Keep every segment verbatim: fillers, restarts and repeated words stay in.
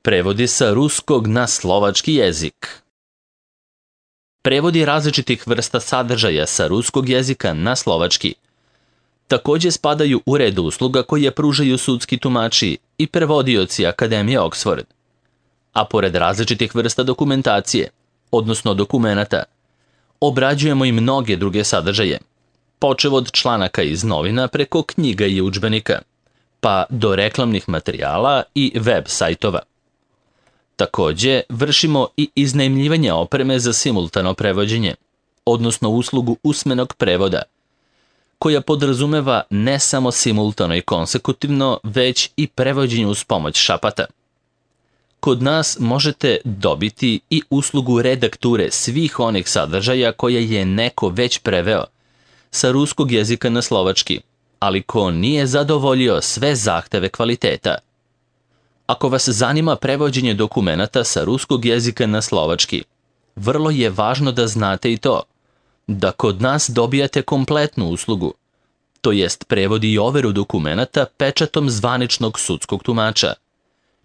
Prevodi sa ruskog na slovački jezik. Prevodi različitih vrsta sadržaja sa ruskog jezika na slovački također spadaju u red usluga koje pružaju sudski tumači i prevodioci Akademije Oxford. A pored različitih vrsta dokumentacije, odnosno dokumenata, obrađujemo i mnoge druge sadržaje, počev od članaka iz novina preko knjiga i udžbenika, pa do reklamnih materijala i web sajtova. Također vršimo i iznajmljivanje opreme za simultano prevođenje, odnosno uslugu usmenog prevoda, koja podrazumeva ne samo simultano i konsekutivno, već i prevođenje uz pomoć šapata. Kod nas možete dobiti i uslugu redakture svih onih sadržaja koje je neko već preveo sa ruskog jezika na slovački, ali ko nije zadovoljio sve zahteve kvaliteta. Ako vas zanima prevođenje dokumenata sa ruskog jezika na slovački, vrlo je važno da znate i to, da kod nas dobijate kompletnu uslugu, to jest prevod i overu dokumenata pečatom zvaničnog sudskog tumača,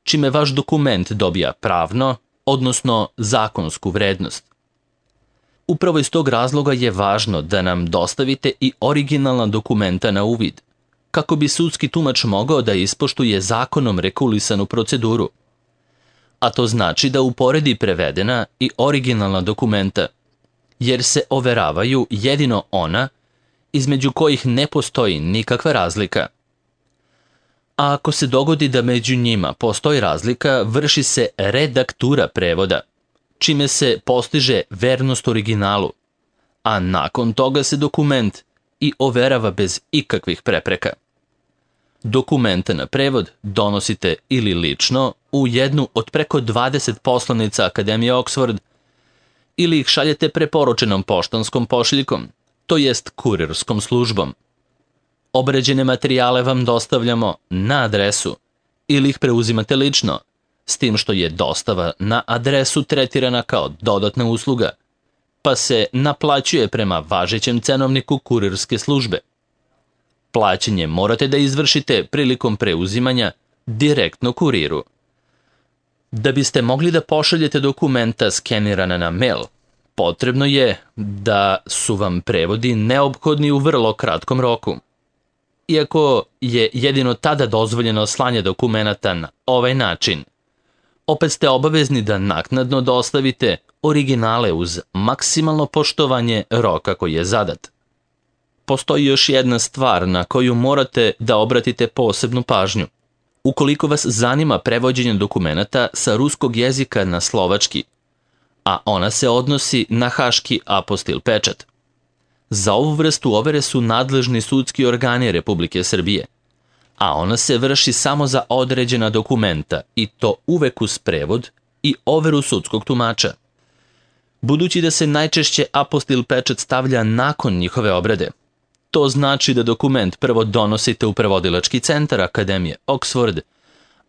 čime vaš dokument dobija pravno, odnosno zakonsku vrednost. Upravo iz tog razloga je važno da nam dostavite i originalna dokumenta na uvid, kako bi sudski tumač mogao da ispoštuje zakonom regulisanu proceduru. A to znači da uporedi prevedena i originalna dokumenta, jer se overavaju jedino ona između kojih ne postoji nikakva razlika. A ako se dogodi da među njima postoji razlika, vrši se redaktura prevoda, čime se postiže vernost originalu, a nakon toga se dokument i overava bez ikakvih prepreka. Dokumente na prevod donosite ili lično u jednu od preko dvadeset poslanica Akademije Oxford ili ih šaljete preporučenom poštanskom pošiljkom, to jest kurirskom službom. Obrađene materijale vam dostavljamo na adresu ili ih preuzimate lično, s tim što je dostava na adresu tretirana kao dodatna usluga, pa se naplaćuje prema važećem cenovniku kurirske službe. Plaćanje morate da izvršite prilikom preuzimanja direktno kuriru. Da biste mogli da pošaljete dokumenta skenirana na mail, potrebno je da su vam prevodi neophodni u vrlo kratkom roku. Iako je jedino tada dozvoljeno slanje dokumenata na ovaj način, opet ste obavezni da naknadno dostavite originale uz maksimalno poštovanje roka koji je zadat. Postoji još jedna stvar na koju morate da obratite posebnu pažnju. Ukoliko vas zanima prevođenje dokumenata sa ruskog jezika na slovački, a ona se odnosi na haški apostil pečat. Za ovu vrstu overe su nadležni sudski organi Republike Srbije, a ona se vrši samo za određena dokumenta i to uvek uz prevod i overu sudskog tumača. Budući da se najčešće apostil pečat stavlja nakon njihove obrade, to znači da dokument prvo donosite u prevodilački centar Akademije Oxford,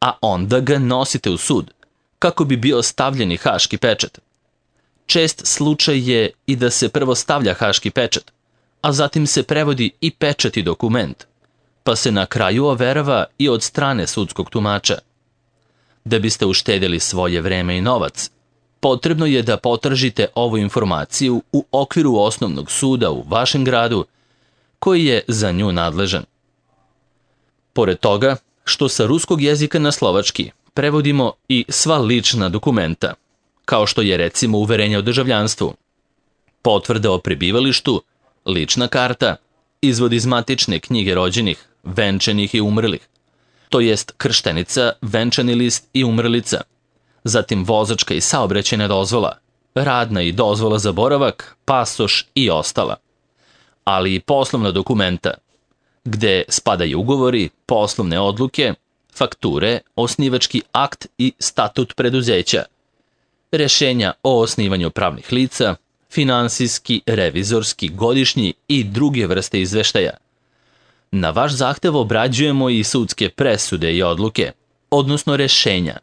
a onda ga nosite u sud, kako bi bio stavljeni haški pečat. Čest slučaj je i da se prvo stavlja haški pečat, a zatim se prevodi i pečat i dokument, pa se na kraju overava i od strane sudskog tumača. Da biste uštedjeli svoje vreme i novac, potrebno je da potražite ovu informaciju u okviru osnovnog suda u vašem gradu, koji je za nju nadležan. Pored toga, što sa ruskog jezika na slovački prevodimo i sva lična dokumenta, kao što je recimo uverenje o državljanstvu, potvrda o prebivalištu, lična karta, izvod iz matične knjige rođenih, venčanih i umrlih, to jest krštenica, venčani list i umrlica, zatim vozačka i saobraćajna dozvola, radna i dozvola za boravak, pasoš i ostala, ali i poslovna dokumenta, gde spadaju ugovori, poslovne odluke, fakture, osnivački akt i statut preduzeća, rešenja o osnivanju pravnih lica, finansijski, revizorski, godišnji i druge vrste izveštaja. Na vaš zahtev obrađujemo i sudske presude i odluke, odnosno rešenja,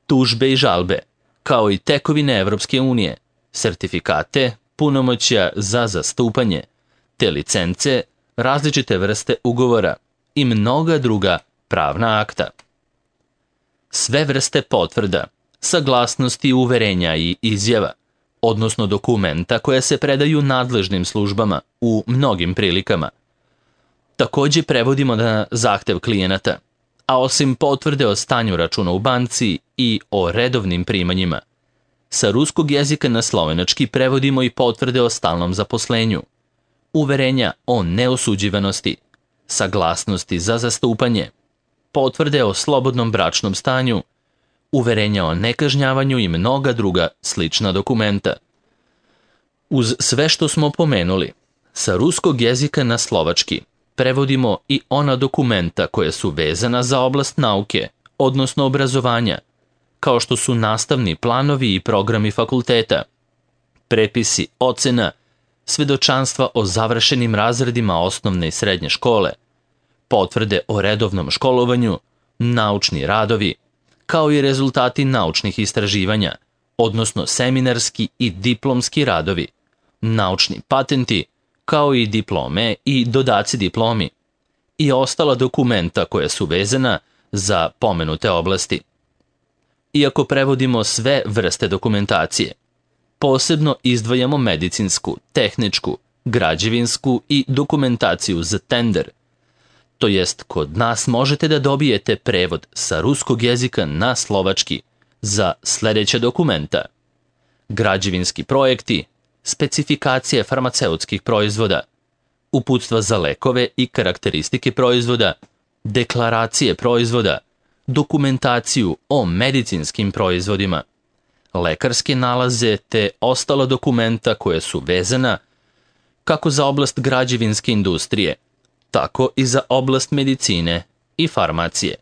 tužbe i žalbe, kao i tekovine Evropske unije, sertifikate, punomoćja za zastupanje, te licence, različite vrste ugovora i mnoga druga pravna akta. Sve vrste potvrda, saglasnosti, uverenja i izjava, odnosno dokumenta koja se predaju nadležnim službama u mnogim prilikama. Takođe prevodimo na zahtev klijenata, a osim potvrde o stanju računa u banci i o redovnim primanjima, sa ruskog jezika na slovenački prevodimo i potvrde o stalnom zaposlenju, uverenja o neosuđivanosti, saglasnosti za zastupanje, potvrde o slobodnom bračnom stanju, uverenja o nekažnjavanju i mnoga druga slična dokumenta. Uz sve što smo pomenuli, sa ruskog jezika na slovački prevodimo i ona dokumenta koja su vezana za oblast nauke, odnosno obrazovanja, kao što su nastavni planovi i programi fakulteta, prepisi ocena, svedočanstva o završenim razredima osnovne i srednje škole, potvrde o redovnom školovanju, naučni radovi, kao i rezultati naučnih istraživanja, odnosno seminarski i diplomski radovi, naučni patenti, kao i diplome i dodaci diplomi, i ostala dokumenta koja su vezana za pomenute oblasti. Iako prevodimo sve vrste dokumentacije, posebno izdvajamo medicinsku, tehničku, građevinsku i dokumentaciju za tender, to jest kod nas možete da dobijete prevod sa ruskog jezika na slovački za sledeće dokumenta: građevinski projekti, specifikacije farmaceutskih proizvoda, uputstva za lekove i karakteristike proizvoda, deklaracije proizvoda, dokumentaciju o medicinskim proizvodima, lekarske nalaze te ostala dokumenta koja su vezana kako za oblast građevinske industrije, tako i za oblast medicine i farmacije.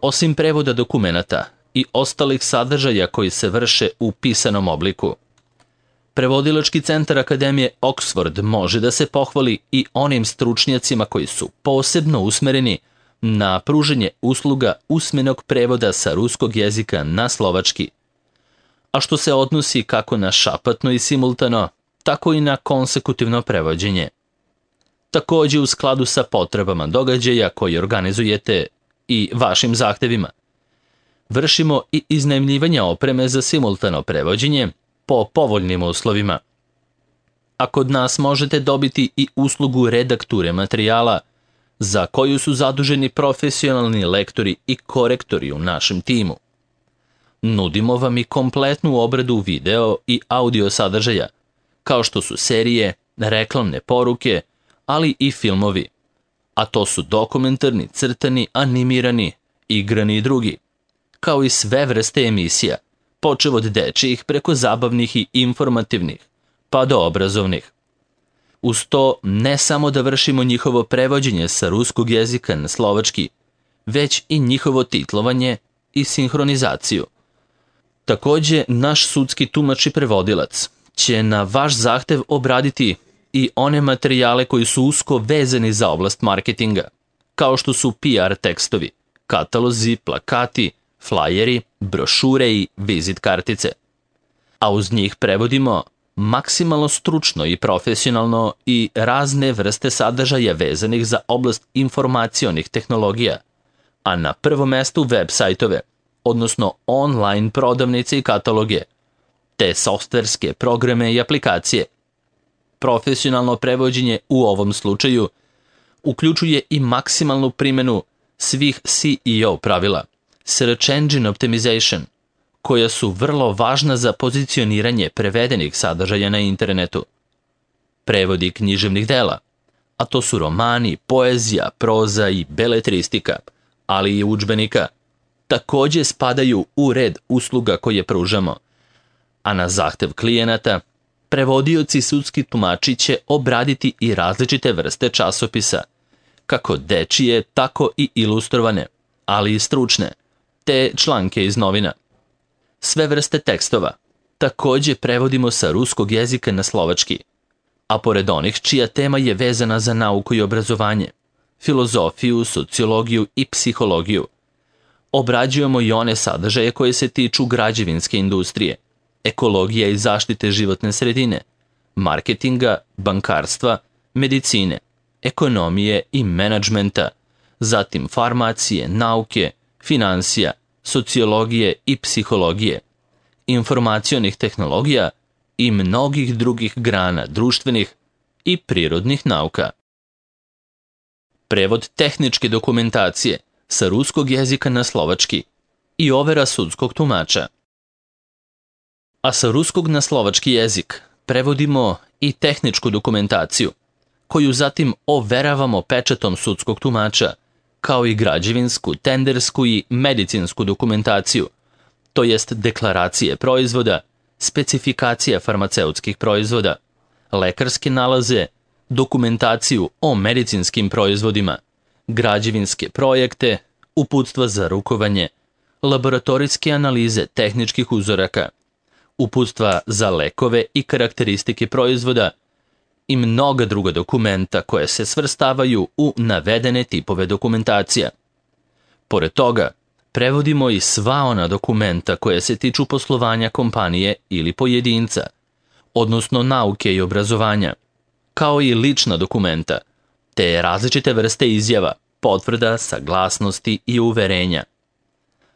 Osim prevoda dokumenata i ostalih sadržaja koji se vrše u pisanom obliku, Prevodilački centar Akademije Oxford može da se pohvali i onim stručnjacima koji su posebno usmereni na pruženje usluga usmenog prevoda sa ruskog jezika na slovački, a što se odnosi kako na šapatno i simultano, tako i na konsekutivno prevođenje. Takođe u skladu sa potrebama događaja koji organizujete i vašim zahtevima, vršimo i iznajmljivanje opreme za simultano prevođenje po povoljnim uslovima. A kod nas možete dobiti i uslugu redakture materijala za koju su zaduženi profesionalni lektori i korektori u našem timu. Nudimo vam i kompletnu obradu video i audio sadržaja, kao što su serije, reklamne poruke, ali i filmovi, a to su dokumentarni, crtani, animirani, igrani i drugi, kao i sve vrste emisija, počev od dečijih preko zabavnih i informativnih, pa do obrazovnih. Uz to ne samo da vršimo njihovo prevođenje sa ruskog jezika na slovački, već i njihovo titlovanje i sinhronizaciju. Takođe, naš sudski tumač i prevodilac će na vaš zahtev obraditi i one materijale koji su usko vezani za oblast marketinga, kao što su P R tekstovi, katalozi, plakati, flajeri, brošure i vizit kartice. A uz njih prevodimo maksimalno stručno i profesionalno i razne vrste sadržaja vezanih za oblast informacionih tehnologija, a na prvom mestu web sajtove, odnosno online prodavnice i kataloge, te softverske programe i aplikacije. Profesionalno prevođenje u ovom slučaju uključuje i maksimalnu primjenu svih S E O pravila, Search Engine Optimization, koja su vrlo važna za pozicioniranje prevedenih sadržaja na internetu. Prevodi književnih dela, a to su romani, poezija, proza i beletristika, ali i udžbenika, takođe spadaju u red usluga koje pružamo, a na zahtev klijenata prevodioci sudski tumači će obraditi i različite vrste časopisa, kako dečije, tako i ilustrovane, ali i stručne, te članke iz novina. Sve vrste tekstova takođe prevodimo sa ruskog jezika na slovački, a pored onih čija tema je vezana za nauku i obrazovanje, filozofiju, sociologiju i psihologiju, obrađujemo i one sadržaje koje se tiču građevinske industrije, ekologije i zaštite životne sredine, marketinga, bankarstva, medicine, ekonomije i menadžmenta, zatim farmacije, nauke, finansija, sociologije i psihologije, informacionih tehnologija i mnogih drugih grana društvenih i prirodnih nauka. Prevod tehničke dokumentacije sa ruskog jezika na slovački i overa sudskog tumača. A sa ruskog na slovački jezik prevodimo i tehničku dokumentaciju, koju zatim overavamo pečatom sudskog tumača, kao i građevinsku, tendersku i medicinsku dokumentaciju, to jest deklaracije proizvoda, specifikacija farmaceutskih proizvoda, lekarske nalaze, dokumentaciju o medicinskim proizvodima, građevinske projekte, uputstva za rukovanje, laboratorijske analize tehničkih uzoraka, uputstva za lekove i karakteristike proizvoda i mnoga druga dokumenta koje se svrstavaju u navedene tipove dokumentacija. Pored toga, prevodimo i sva ona dokumenta koje se tiču poslovanja kompanije ili pojedinca, odnosno nauke i obrazovanja, kao i lična dokumenta, te različite vrste izjava, potvrda, saglasnosti i uverenja.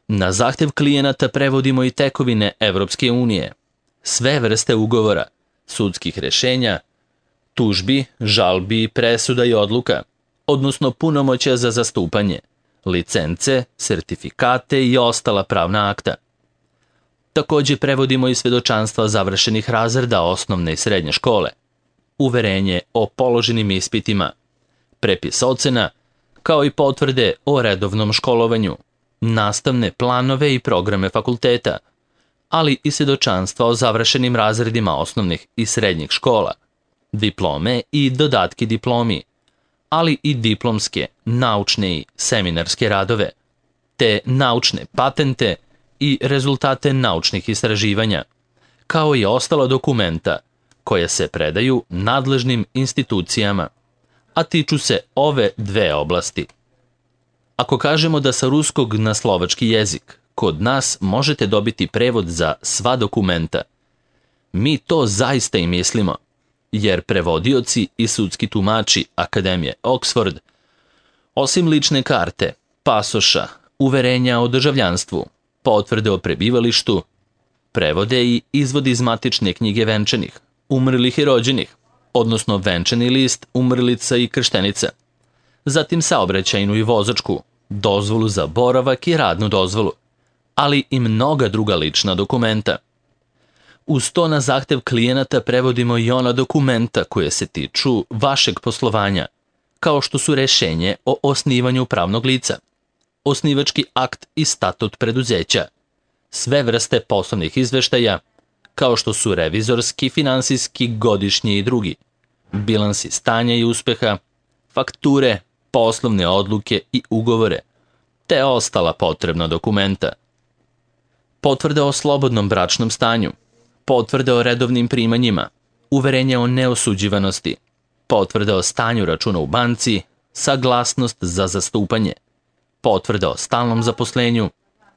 Na zahtev klijenata prevodimo i tekovine Evropske unije, sve vrste ugovora, sudskih rešenja, tužbi, žalbi, presuda i odluka, odnosno punomoćja za zastupanje, licence, sertifikate i ostala pravna akta. Takođe prevodimo i svedočanstva završenih razreda osnovne i srednje škole, uverenje o položenim ispitima, prepis ocena, kao i potvrde o redovnom školovanju, nastavne planove i programe fakulteta, ali i svedočanstva o završenim razredima osnovnih i srednjih škola, diplome i dodatki diplomi, ali i diplomske, naučne i seminarske radove, te naučne patente i rezultate naučnih istraživanja, kao i ostala dokumenta koje se predaju nadležnim institucijama, a tiču se ove dve oblasti. Ako kažemo da sa ruskog na slovački jezik kod nas možete dobiti prevod za sva dokumenta, mi to zaista i mislimo, jer prevodioci i sudski tumači Akademije Oxford, osim lične karte, pasoša, uverenja o državljanstvu, potvrde o prebivalištu, prevode i izvodi iz matične knjige venčanih, umrlih i rođenih, odnosno venčani list, umrlica i krštenica, zatim saobraćajnu i vozačku, dozvolu za boravak i radnu dozvolu, ali i mnoga druga lična dokumenta. Uz to na zahtev klijenata prevodimo i ona dokumenta koje se tiču vašeg poslovanja, kao što su rešenje o osnivanju pravnog lica, osnivački akt i statut preduzeća, sve vrste poslovnih izveštaja, kao što su revizorski, finansijski, godišnji i drugi, bilansi stanja i uspeha, fakture, poslovne odluke i ugovore, te ostala potrebna dokumenta. Potvrde o slobodnom bračnom stanju, potvrde o redovnim primanjima, uverenje o neosuđivanosti, potvrde o stanju računa u banci, saglasnost za zastupanje, potvrde o stalnom zaposlenju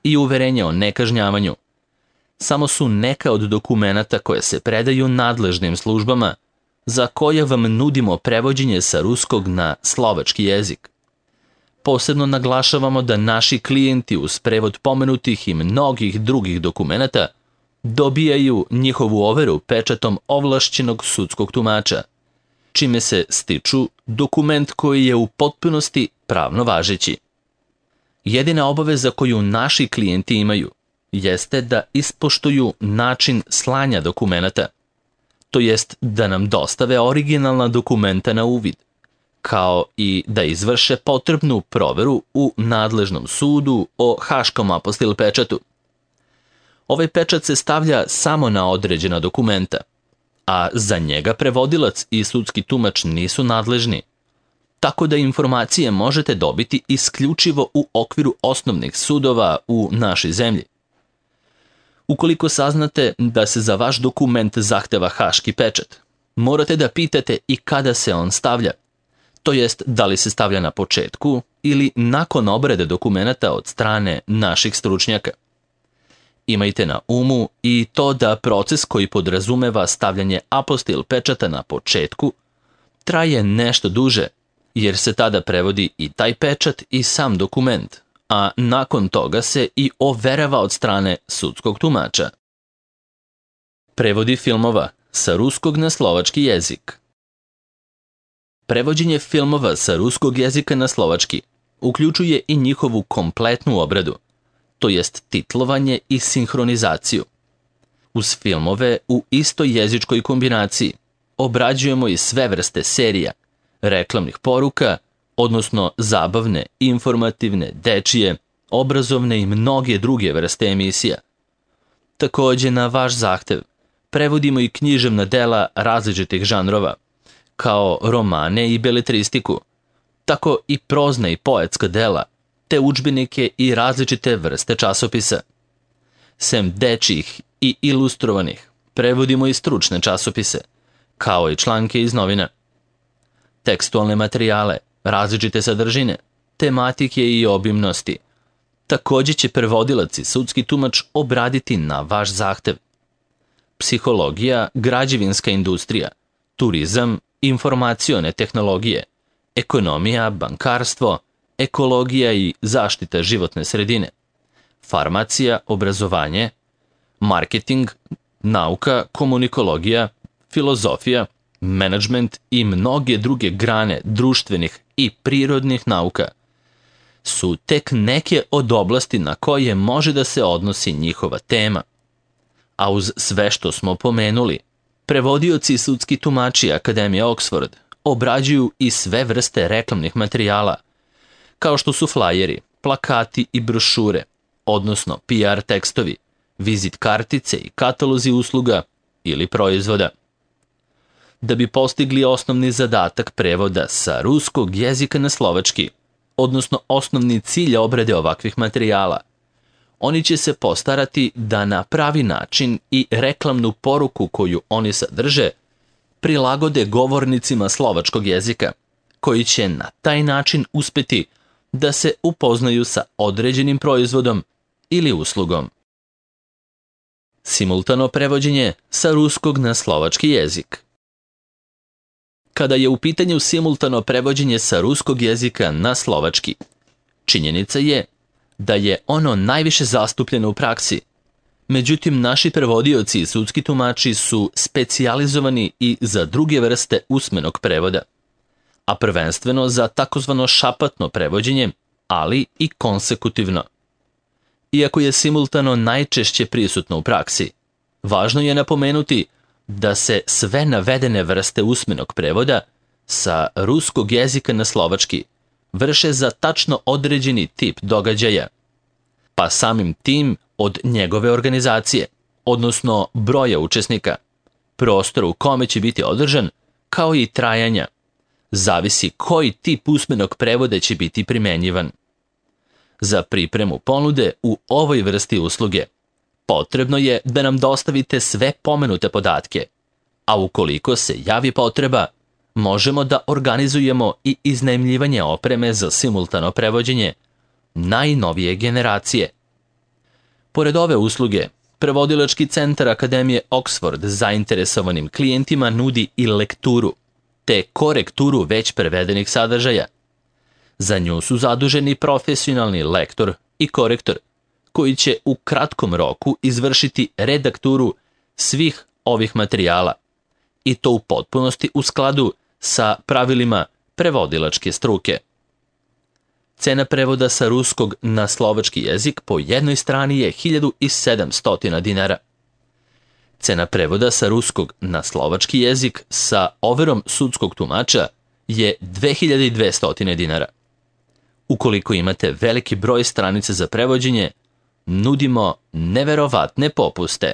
i uverenje o nekažnjavanju. Samo su neka od dokumenata koje se predaju nadležnim službama, za koje vam nudimo prevođenje sa ruskog na slovački jezik. Posebno naglašavamo da naši klijenti uz prevod pomenutih i mnogih drugih dokumenata dobijaju njihovu overu pečatom ovlašćenog sudskog tumača, čime se stiču dokument koji je u potpunosti pravno važeći. Jedina obaveza koju naši klijenti imaju jeste da ispoštuju način slanja dokumenata, to jest da nam dostave originalna dokumenta na uvid, kao i da izvrše potrebnu proveru u nadležnom sudu o Haškom apostil pečatu. Ovaj pečat se stavlja samo na određena dokumenta, a za njega prevodilac i sudski tumač nisu nadležni, tako da informacije možete dobiti isključivo u okviru osnovnih sudova u našoj zemlji. Ukoliko saznate da se za vaš dokument zahteva haški pečat, morate da pitate i kada se on stavlja, to jest da li se stavlja na početku ili nakon obrade dokumenata od strane naših stručnjaka. Imajte na umu i to da proces koji podrazumeva stavljanje apostil pečata na početku traje nešto duže, jer se tada prevodi i taj pečat i sam dokument, a nakon toga se i overava od strane sudskog tumača. Prevodi filmova sa ruskog na slovački jezik. Prevođenje filmova sa ruskog jezika na slovački uključuje i njihovu kompletnu obradu, to jest titlovanje i sinhronizaciju. Uz filmove u istoj jezičkoj kombinaciji obrađujemo i sve vrste serija, reklamnih poruka, odnosno zabavne, informativne, dečije, obrazovne i mnoge druge vrste emisija. Takođe, na vaš zahtev, prevodimo i književna dela različitih žanrova, kao romane i beletristiku, tako i prozna i poetska dela, te udžbenike i različite vrste časopisa. Sem dečjih i ilustrovanih, prevodimo i stručne časopise, kao i članke iz novina. Tekstualne materijale, različite sadržine, tematike i obimnosti. Takođe će prevodilac i sudski tumač obraditi na vaš zahtev. Psihologija, građevinska industrija, turizam, informacione tehnologije, ekonomija, bankarstvo, ekologija i zaštita životne sredine, farmacija, obrazovanje, marketing, nauka, komunikologija, filozofija, menadžment i mnoge druge grane društvenih i prirodnih nauka su tek neke od oblasti na koje može da se odnosi njihova tema. A uz sve što smo pomenuli, prevodioci i sudski tumači Akademije Oxford obrađuju i sve vrste reklamnih materijala, kao što su flajeri, plakati i brošure, odnosno P R tekstovi, vizit kartice i katalozi usluga ili proizvoda. Da bi postigli osnovni zadatak prevoda sa ruskog jezika na slovački, odnosno osnovni cilj obrade ovakvih materijala, oni će se postarati da na pravi način i reklamnu poruku koju oni sadrže prilagode govornicima slovačkog jezika, koji će na taj način uspeti da se upoznaju sa određenim proizvodom ili uslugom. Simultano prevođenje sa ruskog na slovački jezik. Kada je u pitanju simultano prevođenje sa ruskog jezika na slovački, činjenica je da je ono najviše zastupljeno u praksi. Međutim, naši prevodioci i sudski tumači su specijalizovani i za druge vrste usmenog prevoda, a prvenstveno za takozvano šapatno prevođenje, ali i konsekutivno. Iako je simultano najčešće prisutno u praksi, važno je napomenuti da se sve navedene vrste usmenog prevoda sa ruskog jezika na slovački vrše za tačno određeni tip događaja, pa samim tim od njegove organizacije, odnosno broja učesnika, prostora u kome će biti održan, kao i trajanja, zavisi koji tip usmenog prevoda će biti primenjivan. Za pripremu ponude u ovoj vrsti usluge potrebno je da nam dostavite sve pomenute podatke, a ukoliko se javi potreba, možemo da organizujemo i iznajmljivanje opreme za simultano prevođenje najnovije generacije. Pored ove usluge, prevodilački centar Akademije Oxford zainteresovanim klijentima nudi i lekturu, te korekturu već prevedenih sadržaja. Za nju su zaduženi profesionalni lektor i korektor, koji će u kratkom roku izvršiti redakturu svih ovih materijala, i to u potpunosti u skladu sa pravilima prevodilačke struke. Cena prevoda sa ruskog na slovački jezik po jednoj strani je hiljadu sedamsto dinara. Cena prevoda sa ruskog na slovački jezik sa overom sudskog tumača je dve hiljade dvesta dinara. Ukoliko imate veliki broj stranica za prevođenje, nudimo neverovatne popuste.